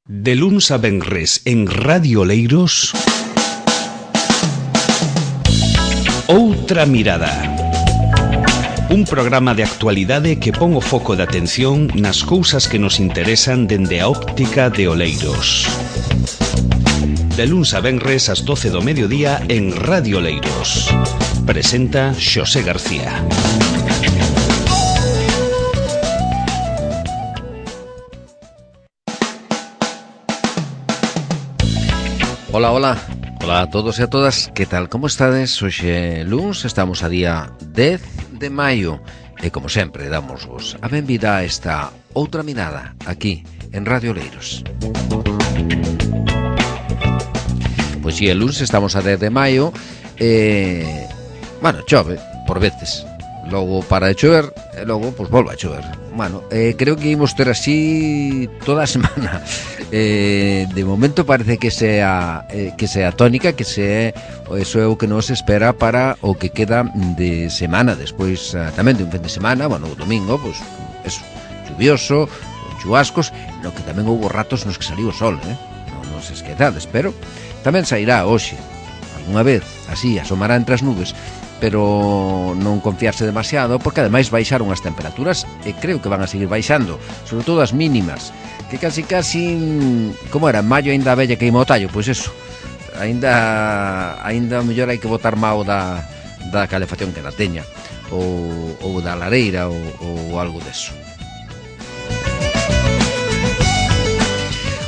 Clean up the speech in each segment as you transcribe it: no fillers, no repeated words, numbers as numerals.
De luns a venres en Radio Oleiros, Outra Mirada. Un programa de actualidade que pon o foco de atención nas cousas que nos interesan dende a óptica de Oleiros. De luns a venres ás 12 do mediodía en Radio Oleiros. Presenta Xosé García. Hola, hola. Hola a todos e a todas. Que tal, como estades? Hoxe luns, estamos a día 10 de maio e, como sempre, damosvos a benvida a esta Outra Mirada aquí, en Radio Oleiros. Pois si, el luns estamos a 10 de maio e... bueno, chove, por veces. Logo para de chover e logo, pois, volve a chover. Bueno, creo que imos ter así toda a semana. De momento parece que sea tónica, que sea eso é o que nos espera para o que queda de semana. Despois tamén de un fin de semana, bueno, o domingo, pois, eso, chuvioso, chubascos, no que tamén houve ratos nos que saliu o sol, non se esquezades, pero tamén sairá hoxe, algunha vez, así, asomará entre as nubes, pero non confiarse demasiado, porque ademais baixaron as temperaturas e creo que van a seguir baixando, sobre todo as mínimas, que casi, como era, en maio ainda a vella queima o tallo, pois eso, ainda mellor hai que botar mao da calefacción que na teña, ou da lareira, ou algo deso.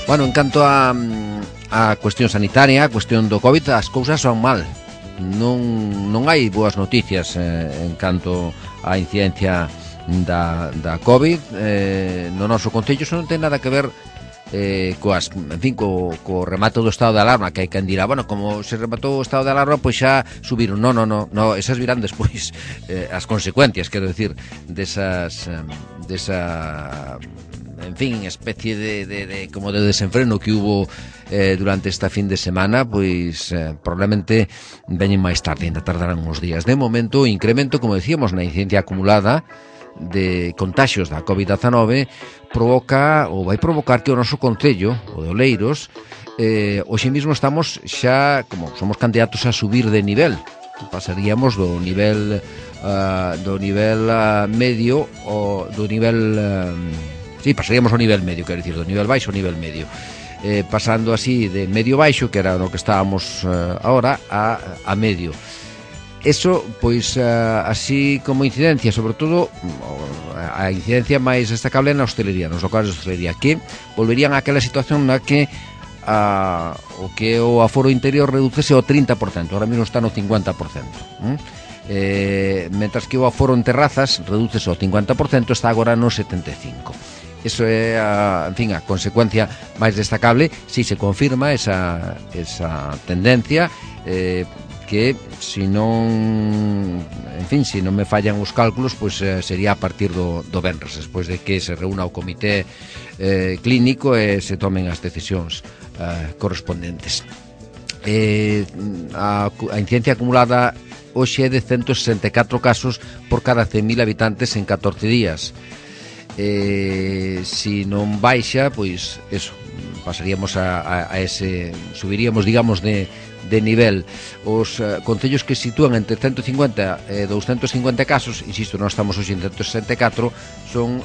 Bueno, en canto a cuestión sanitaria, a cuestión do COVID, as cousas son mal. Non hai boas noticias en canto á incidencia da COVID no noso concello. Iso non ten nada que ver co remato do estado de alarma, que hai quen dirá, bueno, como se rematou o estado de alarma, pois xa subiron. No, esas virán despois, as consecuencias, quero decir, desa en fin, especie de como de desenfreno que hubo durante esta fin de semana, pois probablemente veñen máis tarde, ainda tardarán uns días. De momento, o incremento, como decíamos, na incidencia acumulada de contaxios da COVID-19 vai provocar que o noso concello, o de Oleiros, hoxe mesmo estamos xa, como somos candidatos a subir de nivel, pasaríamos do nivel medio ou do nivel pasaríamos ao nivel medio, quero dicir, do nivel baixo ao nivel medio, pasando así de medio baixo, que era no que estábamos ahora, a medio. Eso, pois, así como incidencia, sobre todo a incidencia máis destacable na hostelería, nos locales de hostelería, que volverían a aquela situación na que o aforo interior redúcese ao 30%, ahora mesmo está no 50%, mentras que o aforo en terrazas redúcese ao 50%, está agora no 75%. Eso é a consecuencia máis destacable si se confirma esa tendencia, que se non me fallan os cálculos, pois sería a partir do venres, despois de que se reúna o comité clínico e se tomen as decisións correspondentes. A incidencia acumulada hoxe é de 164 casos por cada 100.000 habitantes en 14 días. Si non baixa, pois eso, pasaríamos a ese, subiríamos, digamos, de nivel. Os concellos que sitúan entre 150 e 250 casos, insisto, non estamos hoxe en 164, son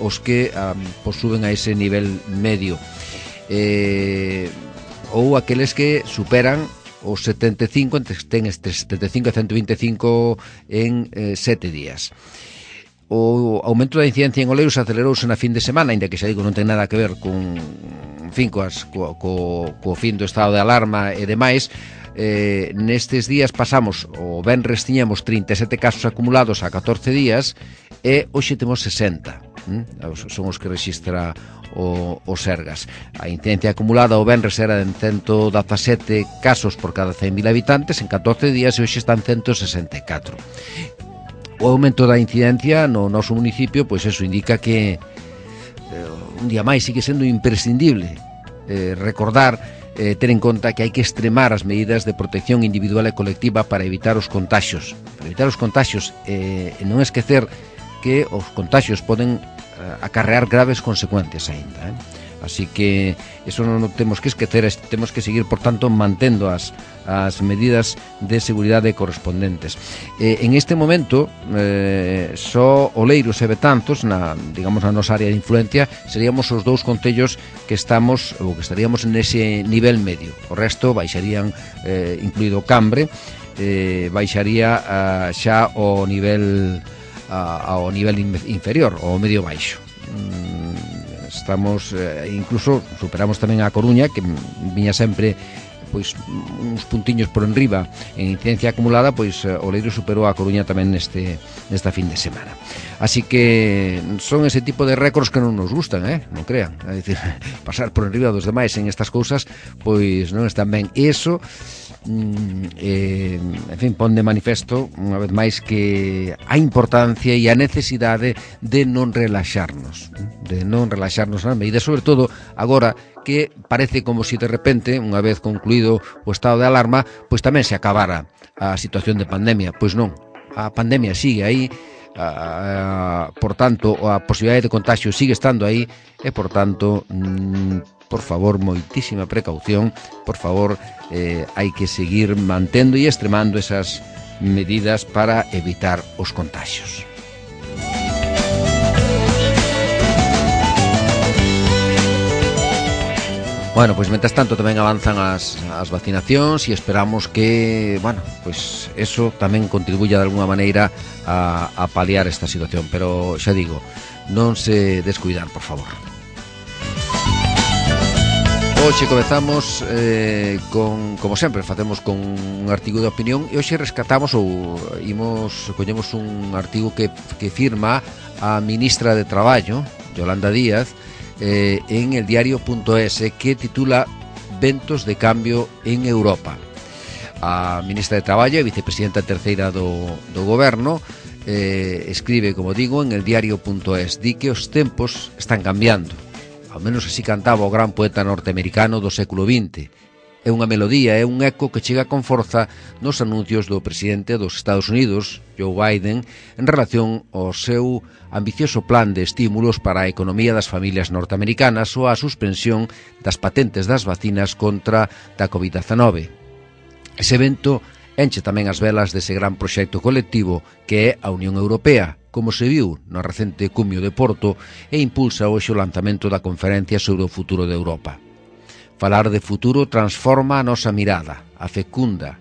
os que suben a ese nivel medio, ou aqueles que superan os 75, ten entre 75 e 125 en 7 días. O aumento da incidencia en Oleiros acelerouse na fin de semana, ainda que xa digo non ten nada que ver co fin do estado de alarma e demais. Nestes días pasamos, o venres tiñamos 37 casos acumulados a 14 días e hoxe temos 60, son os que rexistra o Sergas. A incidencia acumulada o venres era de 117 casos por cada 100.000 habitantes en 14 días e hoxe están 164. O aumento da incidencia no noso municipio, pois eso indica que un día máis sigue sendo imprescindible recordar, ter en conta que hai que extremar as medidas de protección individual e colectiva para evitar os contaxios. E non esquecer que os contaxios poden acarrear graves consecuencias aínda. así que eso non temos que esquecer, temos que seguir, por tanto, mantendo as medidas de seguridade correspondentes. En este momento, só Oleiros e Betanzos, na nosa área de influencia, seríamos os dous concellos que estamos, ou que estaríamos nese nivel medio. O resto baixarían, incluído Cambre, baixaría xa ao nivel inferior, ao medio baixo. Estamos, incluso superamos tamén a Coruña, que viña sempre pois uns puntiños por enriba en incidencia acumulada, pois Oleiros superou a Coruña tamén nesta fin de semana. Así que son ese tipo de récords que non nos gustan, non crean. É dicir, pasar por enriba dos demais en estas cousas, pois non están ben. E iso, en fin, pon de manifesto unha vez máis que a importancia e a necesidade de non relaxarnos nas medidas, sobre todo agora que parece como se de repente, unha vez concluído o estado de alarma, pois tamén se acabara a situación de pandemia. Pois non, a pandemia sigue aí, por tanto, a posibilidade de contagio sigue estando aí, e por tanto, por favor, moitísima precaución, por favor, hai que seguir mantendo e extremando esas medidas para evitar os contagios. Bueno, pois mentras tanto tamén avanzan as vacinacións e esperamos que, bueno, pois eso tamén contribuya de alguna maneira a paliar esta situación, pero xa digo, non se descuidar, por favor. Hoxe comezamos como sempre, facemos con un artigo de opinión, e hoxe rescatamos ou coñemos un artigo que firma a ministra de Traballo, Yolanda Díaz, en el diario.es, que titula Ventos de cambio en Europa. A ministra de Traballo e vicepresidenta terceira do goberno escribe, como digo, en el diario.es, di que os tempos están cambiando. Ao menos así cantaba o gran poeta norteamericano do século XX. É unha melodía, é un eco que chega con forza nos anuncios do presidente dos Estados Unidos, Joe Biden, en relación ao seu ambicioso plan de estímulos para a economía das familias norteamericanas ou a suspensión das patentes das vacinas contra da COVID-19. Ese evento enche tamén as velas dese gran proxecto colectivo que é a Unión Europea, como se viu no recente cumio de Porto, e impulsa hoxe o lanzamento da conferencia sobre o futuro de Europa. Falar de futuro transforma a nosa mirada, a fecunda,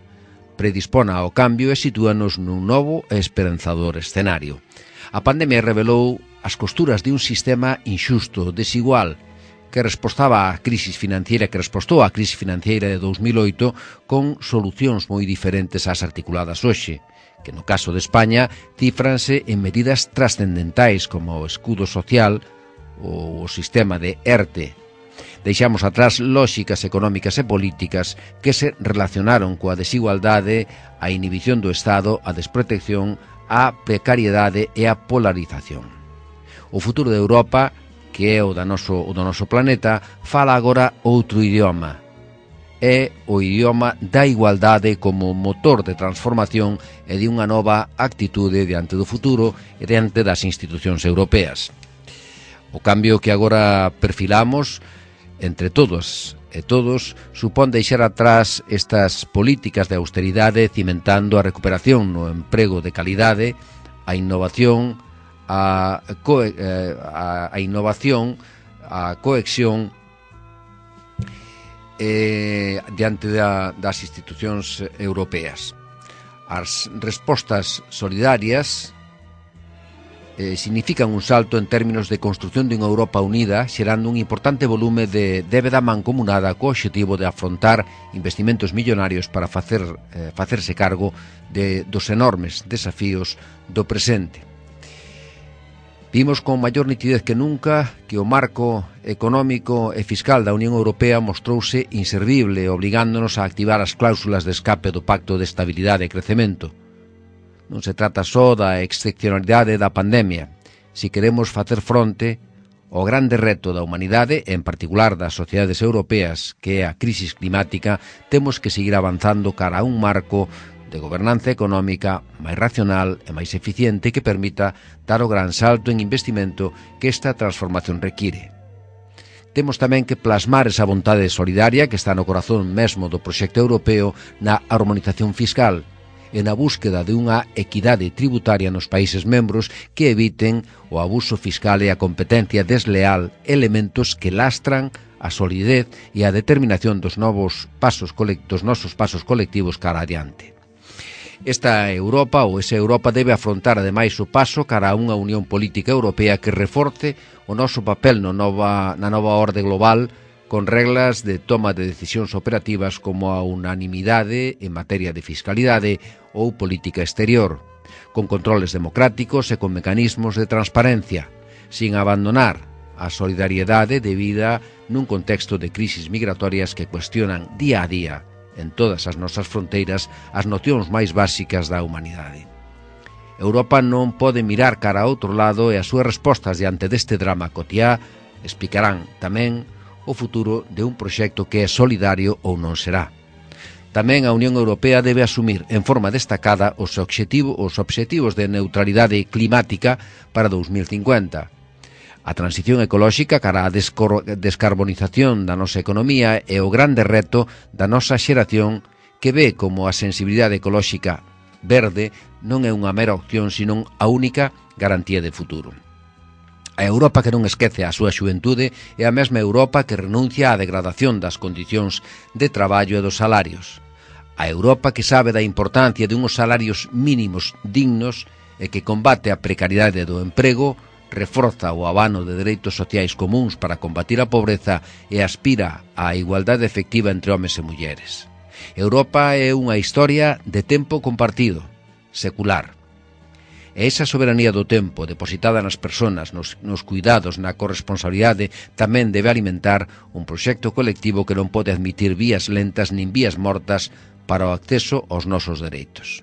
predispona ao cambio e sitúanos nun novo e esperanzador escenario. A pandemia revelou as costuras de un sistema inxusto, desigual, que respostou á crise financiera de 2008 con solucións moi diferentes ás articuladas hoxe, que no caso de España cifranse en medidas trascendentais como o escudo social ou o sistema de ERTE. Deixamos atrás lóxicas económicas e políticas que se relacionaron coa desigualdade, a inhibición do Estado, a desprotección, a precariedade e a polarización. O futuro de Europa, que é o do noso planeta, fala agora outro idioma. É o idioma da igualdade como motor de transformación e de unha nova actitude diante do futuro e diante das institucións europeas. O cambio que agora perfilamos entre todos e todos supón deixar atrás estas políticas de austeridade, cimentando a recuperación no emprego de calidade, a innovación, a cohesión diante das institucións europeas. As respostas solidarias significan un salto en términos de construción dunha Europa unida, xerando un importante volume de débeda mancomunada co obxectivo de afrontar investimentos millonarios para facerse cargo dos enormes desafíos do presente. Vimos con maior nitidez que nunca que o marco económico e fiscal da Unión Europea mostrouse inservible, obligándonos a activar as cláusulas de escape do Pacto de Estabilidade e Crecemento. Non se trata só da excepcionalidade da pandemia. Si queremos facer fronte ao grande reto da humanidade, en particular das sociedades europeas, que é a crisis climática, temos que seguir avanzando cara a un marco de gobernanza económica máis racional e máis eficiente que permita dar o gran salto en investimento que esta transformación require. temos tamén que plasmar esa vontade solidaria que está no corazón mesmo do proxecto europeo na harmonización fiscal e na búsqueda de unha equidade tributaria nos países membros que eviten o abuso fiscal e a competencia desleal, elementos que lastran a solidez e a determinación dos nosos pasos colectivos cara adiante. Esta Europa ou esa Europa debe afrontar ademais o paso cara a unha unión política europea que reforce o noso papel na nova orde global con reglas de toma de decisións operativas como a unanimidade en materia de fiscalidade ou política exterior, con controles democráticos e con mecanismos de transparencia, sin abandonar a solidariedade debida nun contexto de crisis migratorias que cuestionan día a día en todas as nosas fronteiras as nocións máis básicas da humanidade. Europa non pode mirar cara a outro lado e as súas respostas diante deste drama cotiá explicarán tamén o futuro de un proxecto que é solidario ou non será. Tamén a Unión Europea debe asumir en forma destacada os obxectivos de neutralidade climática para 2050. A transición ecolóxica cara á descarbonización da nosa economía é o grande reto da nosa xeración que ve como a sensibilidade ecolóxica verde non é unha mera opción, senón a única garantía de futuro. A Europa que non esquece a súa xuventude é a mesma Europa que renuncia á degradación das condicións de traballo e dos salarios. A Europa que sabe da importancia de unhos salarios mínimos dignos e que combate a precariedade do emprego, reforza o abano de dereitos sociais comuns para combatir a pobreza e aspira á igualdade efectiva entre homes e mulleres. Europa é unha historia de tempo compartido, secular. E esa soberanía do tempo depositada nas persoas, nos cuidados, na corresponsabilidade, tamén debe alimentar un proxecto colectivo que non pode admitir vías lentas nin vías mortas para o acceso aos nosos dereitos.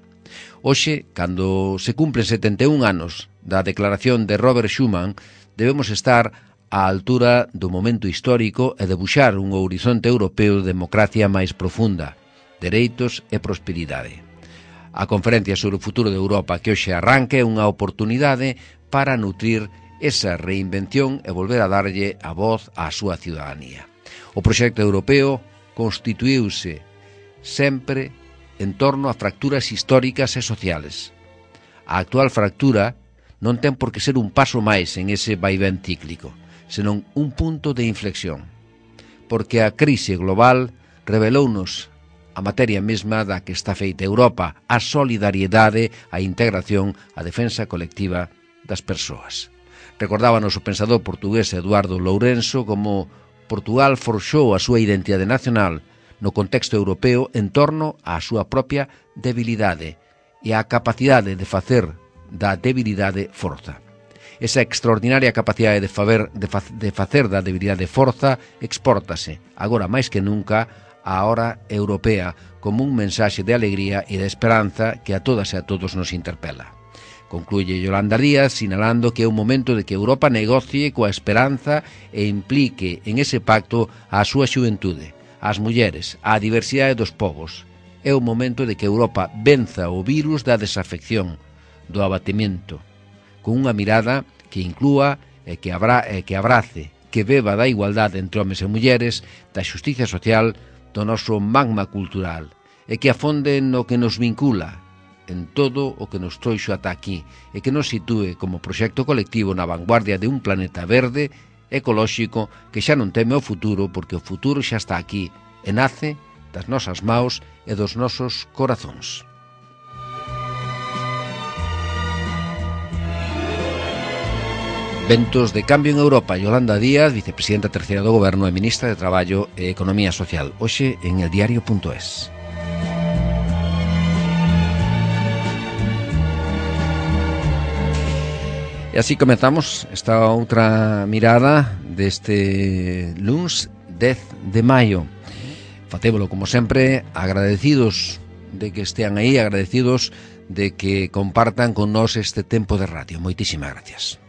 Hoxe, cando se cumplen 71 anos da declaración de Robert Schuman, debemos estar á altura do momento histórico e debuxar un horizonte europeo de democracia máis profunda, dereitos e prosperidade. A conferencia sobre o futuro de Europa que hoxe arranca é unha oportunidade para nutrir esa reinvención e volver a darlle a voz á súa ciudadanía. O proxecto europeo constituíuse sempre en torno a fracturas históricas e sociales. A actual fractura non ten por que ser un paso máis en ese vaivén cíclico, senón un punto de inflexión, porque a crise global revelounos a materia mesma da que está feita Europa, a solidariedade, a integración, a defensa colectiva das persoas. Recordábanos o pensador portugués Eduardo Lourenço como Portugal forxou a súa identidade nacional no contexto europeo en torno á súa propia debilidade e á capacidade de facer da debilidade forza. Esa extraordinaria capacidade de facer da debilidade forza expórtase, agora máis que nunca, á hora europea como un mensaxe de alegría e de esperanza que a todas e a todos nos interpela. Concluye Yolanda Díaz sinalando que é un momento de que Europa negocie coa esperanza e implique en ese pacto a súa xuventude, ás mulleres, á diversidade dos povos. É o momento de que Europa venza o virus da desafección, do abatimento, con unha mirada que inclúa e que abrace, que beba da igualdade entre homes e mulleres, da xustiza social, do noso magma cultural, e que afonde no que nos vincula, en todo o que nos trouxo ata aquí, e que nos sitúe como proxecto colectivo na vanguardia de un planeta verde, ecolóxico, que xa non teme o futuro, porque o futuro xa está aquí, e nace das nosas maus e dos nosos corazóns. Ventos de cambio en Europa. Yolanda Díaz, vicepresidenta terceira do Goberno e ministra de Traballo e Economía Social. Hoxe en eldiario.es. E así comezamos esta outra mirada deste luns 10 de maio. Facémolo, como sempre, agradecidos de que estean aí, agradecidos de que compartan con nós este tempo de radio. Moitísimas gracias.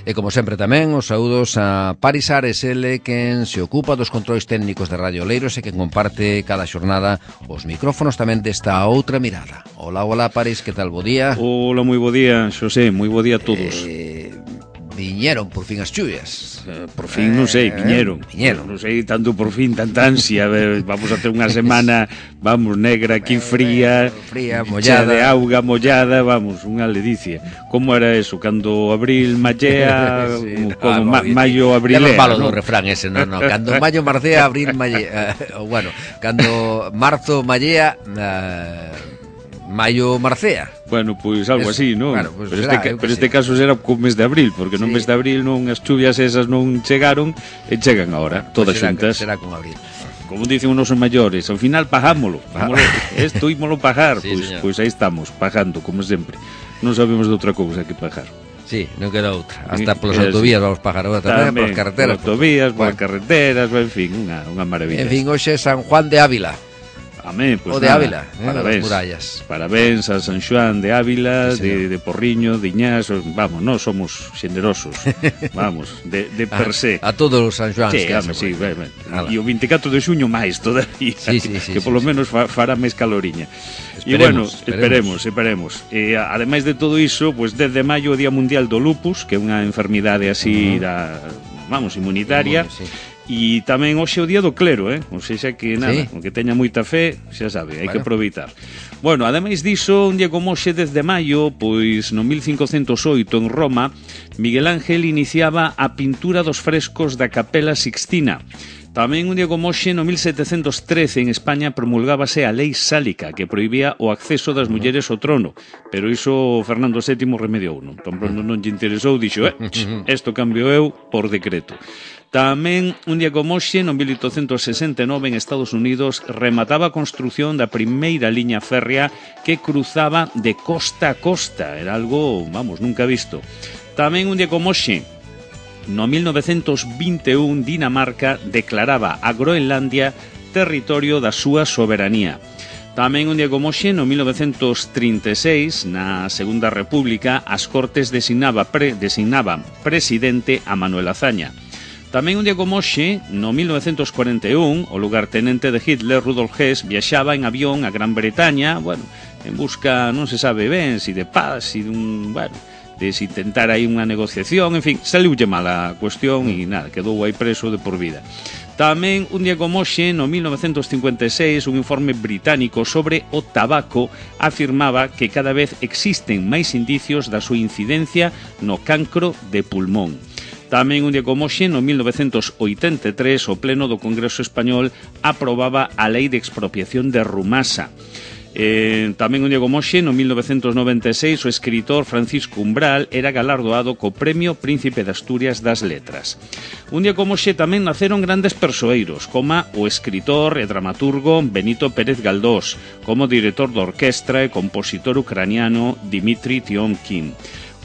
E como sempre tamén os saúdos a Paris Ares, ele quen se ocupa dos controis técnicos de Radio Oleiros e quen comparte cada xornada os micrófonos tamén desta outra mirada. Hola, hola Paris, que tal, bo día? Hola, moi bo día, Xosé, moi bo día a todos. viñeron por fin as chuvias. Por fin, non sei, viñeron. Non sei tanto por fin, tanta ansia. Vamos a ter unha semana, vamos, negra aquí, fría, mollada, de auga, mollada, vamos, unha ledicia. Como era eso? Cando abril mallea, sí, como maio abrilea, malo do refrán ese, non. Cando maio marcea, abril mallea. Bueno, cando marzo mallea, maio marcea. Bueno, pois algo así, non? Claro, pues pero este caso será co mes de abril, porque no mes de abril non as chuvias esas non chegaron e chegan agora, todas xuntas. Será con abril. Como dicen os nosos maiores, ao final pagámolo. Isto ímolo pagar, pois aí estamos, pagando, como sempre. Non sabemos de outra cousa que pagar. Sí, non queda outra. Hasta polas autovías vamos pagar agora tamén, polas carreteras. Polas autovías, polas carreteras, en fin, unha maravilla. En fin, hoxe é San Juan de Ávila. Amén, pues o de nada, Ávila, parabéns, murallas. Parabéns a San Xoán de Ávila, sí, de Porriño, de Iñás, vamos, nós somos xenerosos, vamos, de per se. A todos os San Xoáns. Sí, e o 24 de xuño máis todavía, que polo menos fará máis caloriña. E bueno, esperemos. E ademais de todo iso, pues 10 de maio o Día Mundial do Lupus, que é unha enfermidade así inmunitaria. E tamén hoxe é o día do clero, ou seja que nada, o que teña moita fe, xa sabe, hai que aproveitar. Bueno, ademais diso, un día como hoxe 10 de maio, pois no 1508 en Roma, Miguel Ángel iniciaba a pintura dos frescos da Capela Sixtina. Tamén un día como hoxe, no 1713, en España promulgábase a Lei Sálica, que prohibía o acceso das mulleres ao trono, pero iso Fernando VII remediou, non? Tan pronto non lle interesou, dixo, isto cambio eu por decreto. Tamén, un día como hoxe, no 1869, en Estados Unidos, remataba a construción da primeira liña férrea que cruzaba de costa a costa. Era algo, vamos, nunca visto. Tamén, un día como hoxe, no 1921, Dinamarca declaraba a Groenlandia territorio da súa soberanía. Tamén un día como hoxe, no 1936, na Segunda República, as Cortes designaban presidente a Manuel Azaña. Tamén un día como hoxe, no 1941, o lugartenente de Hitler, Rudolf Hess, viaxaba en avión a Gran Bretaña, bueno, en busca, non se sabe ben, si de paz, si de si intentar aí unha negociación, en fin, saliulle mal a cuestión e nada, quedou aí preso de por vida. Tamén un día como hoxe, no 1956, un informe británico sobre o tabaco afirmaba que cada vez existen máis indicios da súa incidencia no cancro de pulmón. Tamén un día como hoxe, no 1983, o Pleno do Congreso Español aprobaba a Lei de Expropiación de Rumasa. Tamén un día como hoxe, no 1996, o escritor Francisco Umbral era galardoado co Premio Príncipe de Asturias das Letras. Un día como hoxe tamén naceron grandes persoeiros, como o escritor e dramaturgo Benito Pérez Galdós, como director de orquestra e compositor ucraniano Dmitri Tiomkin.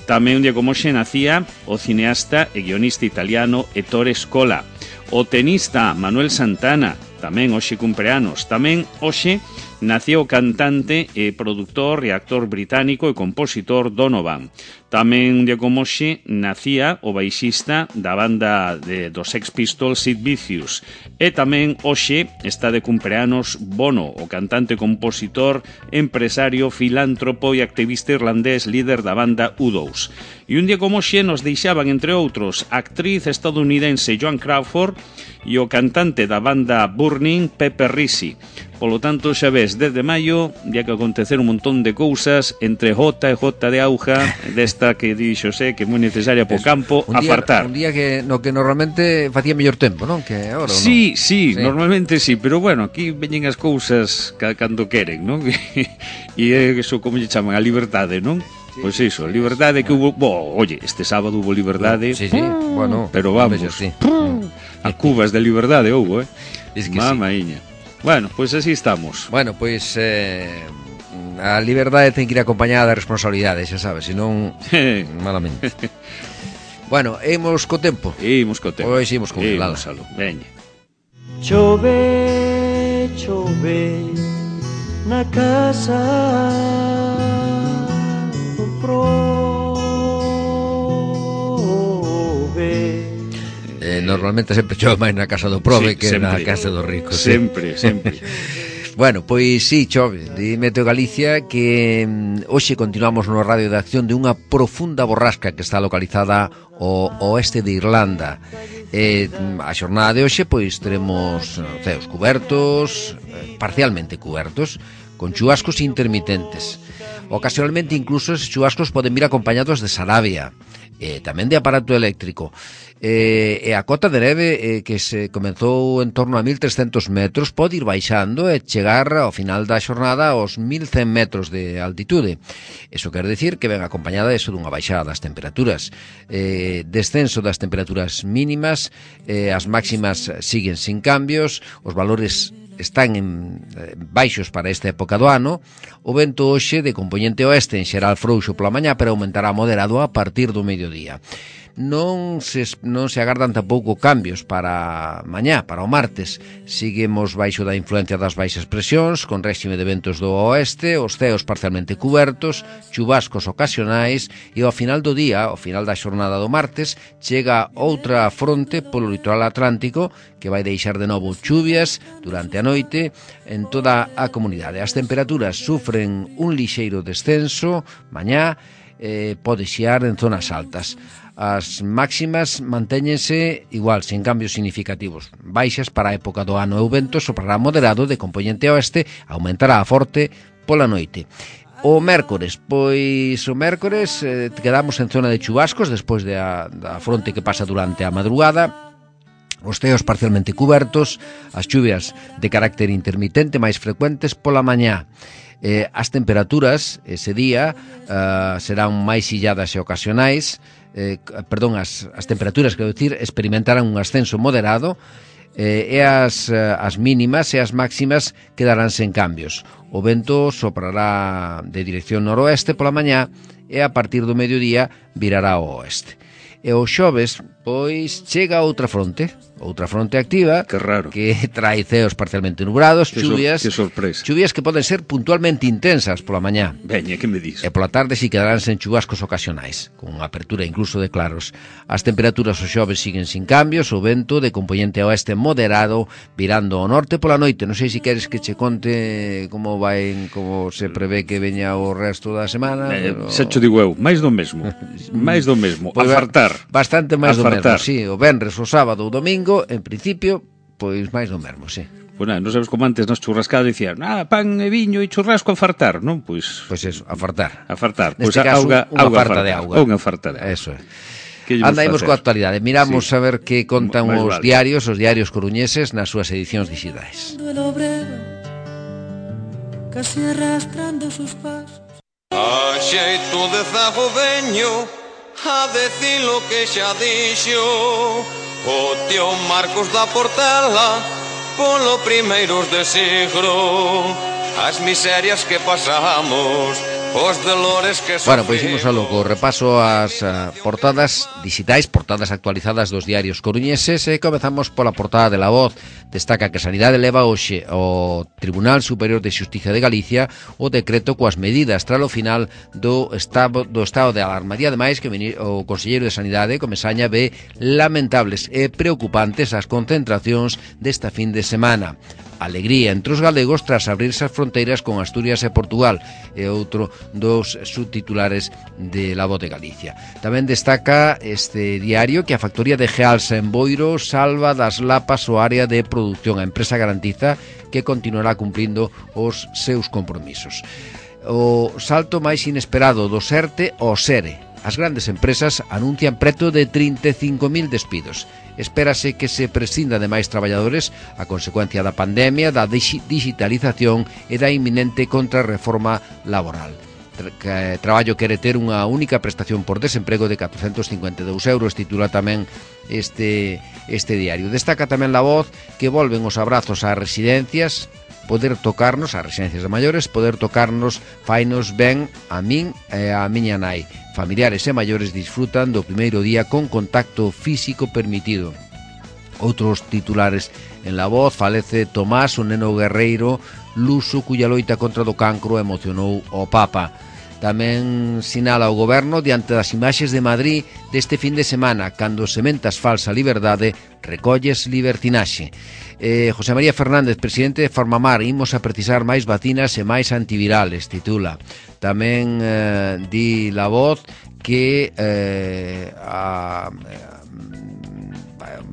Tamén un día como hoxe nacía o cineasta e guionista italiano Ettore Scola, o tenista Manuel Santana, tamén hoxe cumpleanos. Tamén hoxe nacía o cantante e produtor e actor británico e compositor Donovan. Tamén un día como hoxe nacía o baixista da banda dos Sex Pistols Sid Vicious. E tamén hoxe está de cumpleanos Bono, o cantante, compositor, empresario, filántropo e activista irlandés, líder da banda U2. E un día como hoxe nos deixaban, entre outros, a actriz estadounidense Joan Crawford e o cantante da banda Burning, Pepe Risi. Polo tanto, xa ves, desde maio, ya que acontecer un montón de cousas entre jota e jota de auga, desta que dixo que é moi necesaria po campo, a fartar. Un día que no que normalmente facía mellor tempo, non? Que agora, sí, normalmente sí, pero bueno, aquí veñen as cousas cando queren, non? E eso, como lle chaman, a liberdade, non? Pois iso, a liberdade que hubo... Oye, este sábado hubo liberdade. Sí, bueno, pero vamos, a cubas de liberdade houbo, Es que mamaíña. Bueno, pois así estamos. Bueno, pois a liberdade ten que ir acompañada de responsabilidade, xa sabes, senón malamente. Bueno, imos co tempo. Imos co tempo. Pois imos con Lala. Veña. Chove, chove na casa do prove. Normalmente sempre chove máis na casa do prove que sempre, na casa do rico. Sempre. Bueno, pois sí, chove, de Meteo Galicia, que hoxe continuamos no radio de acción de unha profunda borrasca que está localizada ao oeste de Irlanda. A xornada de hoxe, pois, teremos ceos cubertos, parcialmente cubertos, con chubascos intermitentes. Ocasionalmente, incluso, esos chubascos poden vir acompañados de sarabia, tamén de aparato eléctrico. E a cota de neve que se comenzou en torno a 1.300 metros pode ir baixando e chegar ao final da xornada aos 1.100 metros de altitude. Eso quer decir que ven acompañada eso dunha baixada das temperaturas, descenso das temperaturas mínimas, as máximas siguen sin cambios, os valores están baixos para esta época do ano. O vento hoxe de compoñente oeste en xeral frouxo pola mañá, pero aumentará moderado a partir do mediodía. Non se agardan tampouco cambios para mañá, para o martes. Seguimos baixo da influencia das baixas presións, con réxime de ventos do oeste, os ceos parcialmente cubertos, chubascos ocasionais, e ao final do día, ao final da xornada do martes, chega outra fronte polo litoral atlántico que vai deixar de novo chuvias durante a noite en toda a comunidade. As temperaturas sufren un lixeiro descenso mañá, pode xiar en zonas altas. As máximas mantéñense igual, sen cambios significativos, baixas para a época do ano, e o vento soprará moderado de compoñente oeste, aumentará a forte pola noite. O mércores, pois o mércores quedamos en zona de chubascos despois da fronte que pasa durante a madrugada. Os ceos parcialmente cubertos, as chuvias de carácter intermitente máis frecuentes pola mañá. As temperaturas ese día serán máis illadas e ocasionais, as temperaturas, quero dicir, experimentarán un ascenso moderado, e as mínimas e as máximas quedarán sen cambios. O vento soprará de dirección noroeste pola mañá e a partir do mediodía virará ao oeste. E o xoves, pois, chega outra fronte activa, que raro, que trae ceos parcialmente nubrados, chuvias, que sorpresa. Chuvias que poden ser puntualmente intensas pola mañá. Veña, que me dis? E pola tarde si quedarán sen chubascos ocasionais, con apertura incluso de claros. As temperaturas o xoves siguen sin cambios, o vento de compoñente oeste moderado, virando ao norte pola noite. Non sei se queres que che conte como se prevé que veña o resto da semana. Xa cho digo eu, máis do mesmo. Máis do mesmo, pues, a fartar. Bastante máis do mesmo, sí. O venres, o sábado, o domingo, en principio, pois máis do mesmo, sí. Pois non sabes como antes nas churrascadas dicían pan e viño e churrasco a fartar, non? Pois eso, a fartar. A fartar. Neste caso, unha farta de auga. Unha farta de auga. Eso é. Andaimos coa actualidade, miramos a ver que contan os diarios coruñeses nas súas edicións digitais. Casi arrastrando sus pasos. A xeito de zago veño a decir lo que xa dixo o tío Marcos da Portela polo primeiros de siglo, as miserias que pasamos, os dolores que sofrimos. Bueno, pois imos a logo, repaso as portadas digitais, portadas actualizadas dos diarios coruñeses, e comezamos pola portada de La Voz. Destaca que Sanidade leva hoxe ao Tribunal Superior de Xustiza de Galicia o decreto coas medidas tras o final do estado de alarma. E ademais que o conselleiro de Sanidade, Comesaña, ve lamentables e preocupantes as concentracións desta fin de semana. Alegría entre os galegos tras abrirse as fronteiras con Asturias e Portugal, e outro dos subtitulares de La Voz de Galicia. Tamén destaca este diario que a factoría de Gealsa en Boiro salva das lapas o área de produción. A empresa garantiza que continuará cumplindo os seus compromisos. O salto máis inesperado do SERTE ao SERE. As grandes empresas anuncian preto de 35.000 despidos. Espérase que se prescinda de máis traballadores a consecuencia da pandemia, da digitalización e da inminente contrarreforma laboral. Traballo quere ter unha única prestación por desemprego de 452 euros, titula tamén este diario. Destaca tamén La Voz que volven os abrazos ás residencias, poder tocarnos, ás residencias de maiores, poder tocarnos fainos ben a min e a miña nai. Familiares e maiores disfrutan do primeiro día con contacto físico permitido. Outros titulares en La Voz: falece Tomás, un neno guerreiro luso cuya loita contra do cancro emocionou o Papa. Tamén sinala o goberno diante das imaxes de Madrid deste fin de semana, cando sementas falsa liberdade, recolles libertinaxe. José María Fernández, presidente de Farmamar, imos a precisar máis vacinas e máis antivirales, titula. Tamén di La Voz que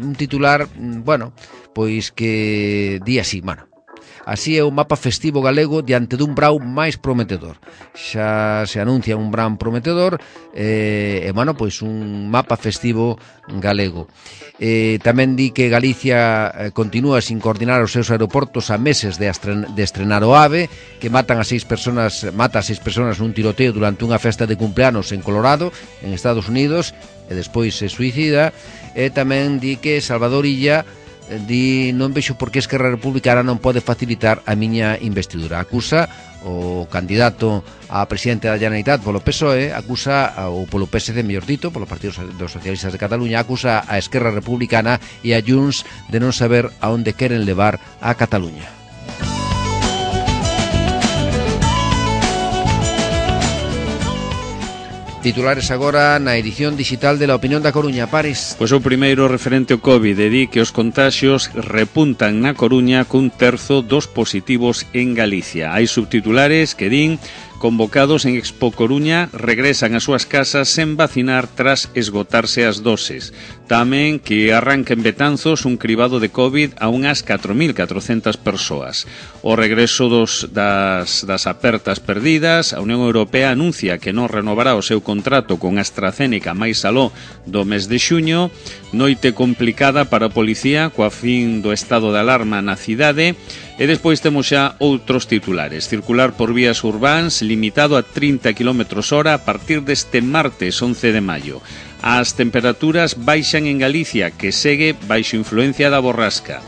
un titular, bueno, pois que di así, bueno, así é o mapa festivo galego diante dun brau máis prometedor. Xa se anuncia un brau prometedor e, bueno, pois un mapa festivo galego. Tamén di que Galicia continúa sin coordinar os seus aeroportos a meses de estrenar o AVE, que mata a 6 personas nun tiroteo durante unha festa de cumpleanos en Colorado, en Estados Unidos, e despois se suicida. E tamén di que Salvador Illa di non vexo por que Esquerra Republicana non pode facilitar a miña investidura. Acusa o candidato a presidente da Generalitat polo PSOE, acusa, ou polo PSD, mellor dito, polo Partido dos Socialistas de Cataluña, acusa a Esquerra Republicana e a Junts de non saber a onde queren levar a Cataluña. Titulares agora na edición digital de La Opinión da Coruña. Paris. Pois o primeiro referente ao COVID, di que os contaxios repuntan na Coruña cun terzo dos positivos en Galicia. Hai subtitulares que din: convocados en Expo Coruña regresan ás súas casas sen vacinar tras esgotarse as doses. Tamén que arranca en Betanzos un cribado de COVID a unhas 4.400 persoas. O regreso das apertas perdidas, a Unión Europea anuncia que non renovará o seu contrato con AstraZeneca máis aló do mes de xuño. Noite complicada para a policía coa fin do estado de alarma na cidade. E despois temos xa outros titulares. Circular por vías urbáns limitado a 30 km/h a partir deste martes 11 de maio. As temperaturas baixan en Galicia, que segue baixo influencia da borrasca.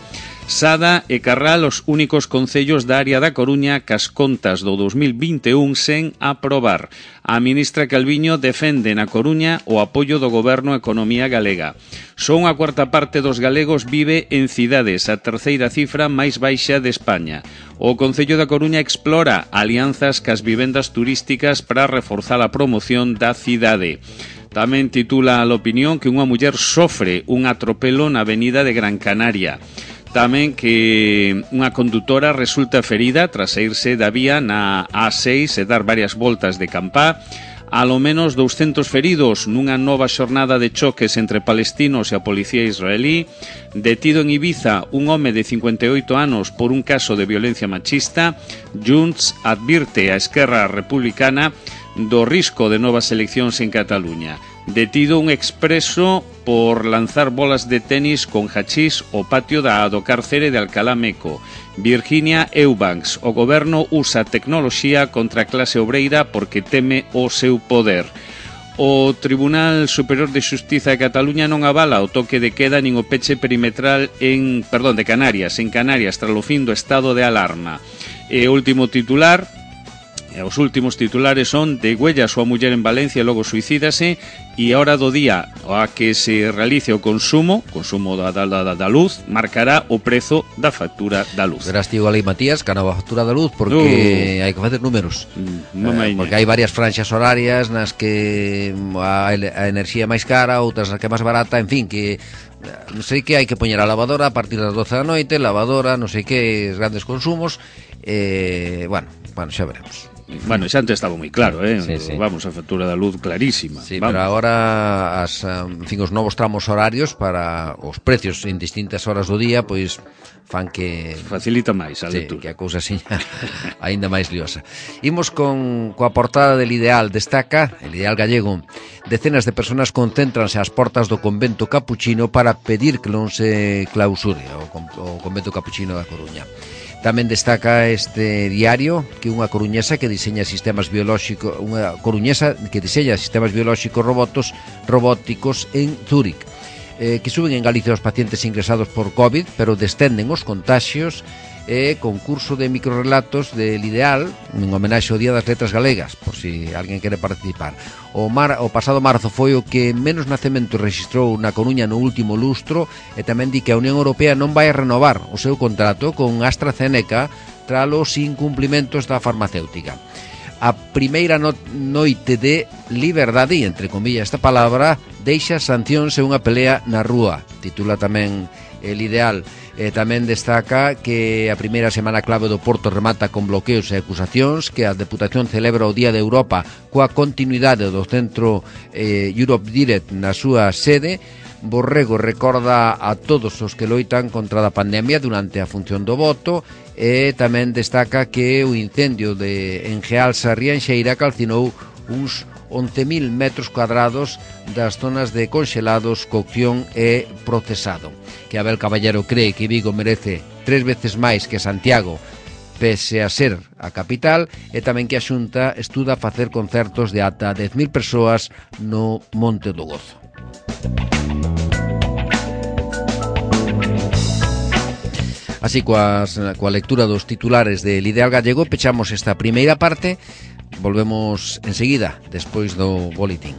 Sada e Carral os únicos concellos da área da Coruña cas contas do 2021 sen aprobar. A ministra Calviño defende na Coruña o apoio do Goberno á economía galega. Só unha cuarta parte dos galegos vive en cidades, a terceira cifra máis baixa de España. O Concello da Coruña explora alianzas cas vivendas turísticas para reforzar a promoción da cidade. Tamén titula a Opinión que unha muller sofre un atropelo na avenida de Gran Canaria. Tamén que unha condutora resulta ferida tras saírse da vía na A6 e dar varias voltas de campá. Alo menos 200 feridos nunha nova xornada de choques entre palestinos e a policía israelí. Detido en Ibiza un home de 58 anos por un caso de violencia machista. Junts advirte a Esquerra Republicana do risco de novas eleccións en Cataluña. Detido un expreso por lanzar bolas de tenis con hachís ao patio do cárcere de Alcalá Meco. Virginia Eubanks, o goberno usa tecnoloxía contra a clase obreira porque teme o seu poder. O Tribunal Superior de Xustiza de Cataluña non avala o toque de queda nin o peche perimetral de Canarias, tras o fin do estado de alarma. E o último titular, os últimos titulares son: degüella a súa muller en Valencia e logo suicídase, e a hora do día a que se realice o consumo da luz marcará o prezo da factura da luz. Verás, tío Galí Matías, que a nova factura da luz, porque hai que facer números. Porque hai varias franxas horarias nas que a enerxía é máis cara, outras nas que é máis barata, en fin, que non sei que hai que poñer a lavadora a partir das 12 da noite, lavadora, non sei que, grandes consumos, bueno, xa veremos. Bueno, xa antes estaba moi claro, sí. Vamos, a factura da luz clarísima. Sí, vamos. Pero agora os novos tramos horarios para os precios en distintas horas do día, pois fan que facilita máis a lectura. Que a cousa seña aínda máis liosa. Imos coa portada del Ideal. Destaca el Ideal gallego: decenas de personas concéntranse ás portas do convento capuchino para pedir que non se clausure o convento capuchino da Coruña. Tamén destaca este diario que unha coruñesa que diseña sistemas biolóxicos robóticos en Zúrich, que suben en Galicia os pacientes ingresados por COVID, pero descenden os contaxios. Concurso de microrelatos del Ideal en homenaxe ao Día das Letras Galegas, por si alguén quere participar. O pasado marzo foi o que menos nacementos registrou na Coruña no último lustro, e tamén di que a Unión Europea non vai a renovar o seu contrato con AstraZeneca tras os incumplimentos da farmacéutica. a primeira noite de liberdade, e entre comillas esta palabra, deixa sancións e unha pelea na rúa, titula tamén El Ideal. Tamén destaca que a primeira semana clave do Porto remata con bloqueos e acusacións, que a Deputación celebra o Día de Europa coa continuidade do centro Europe Direct na súa sede. Borrego recorda a todos os que loitan contra a pandemia durante a función do voto, e tamén destaca que o incendio de Engealsa Rianxeira calcinou uns 11.000 metros cuadrados das zonas de congelados, cocción e procesado. Que Abel Caballero cree que Vigo merece 3 veces máis que Santiago, pese a ser a capital, e tamén que a Xunta estuda facer concertos de ata 10.000 persoas no Monte do Gozo. Así, coa lectura dos titulares del Ideal Gallego, pechamos esta primeira parte. Volvemos enseguida, despois do boletín.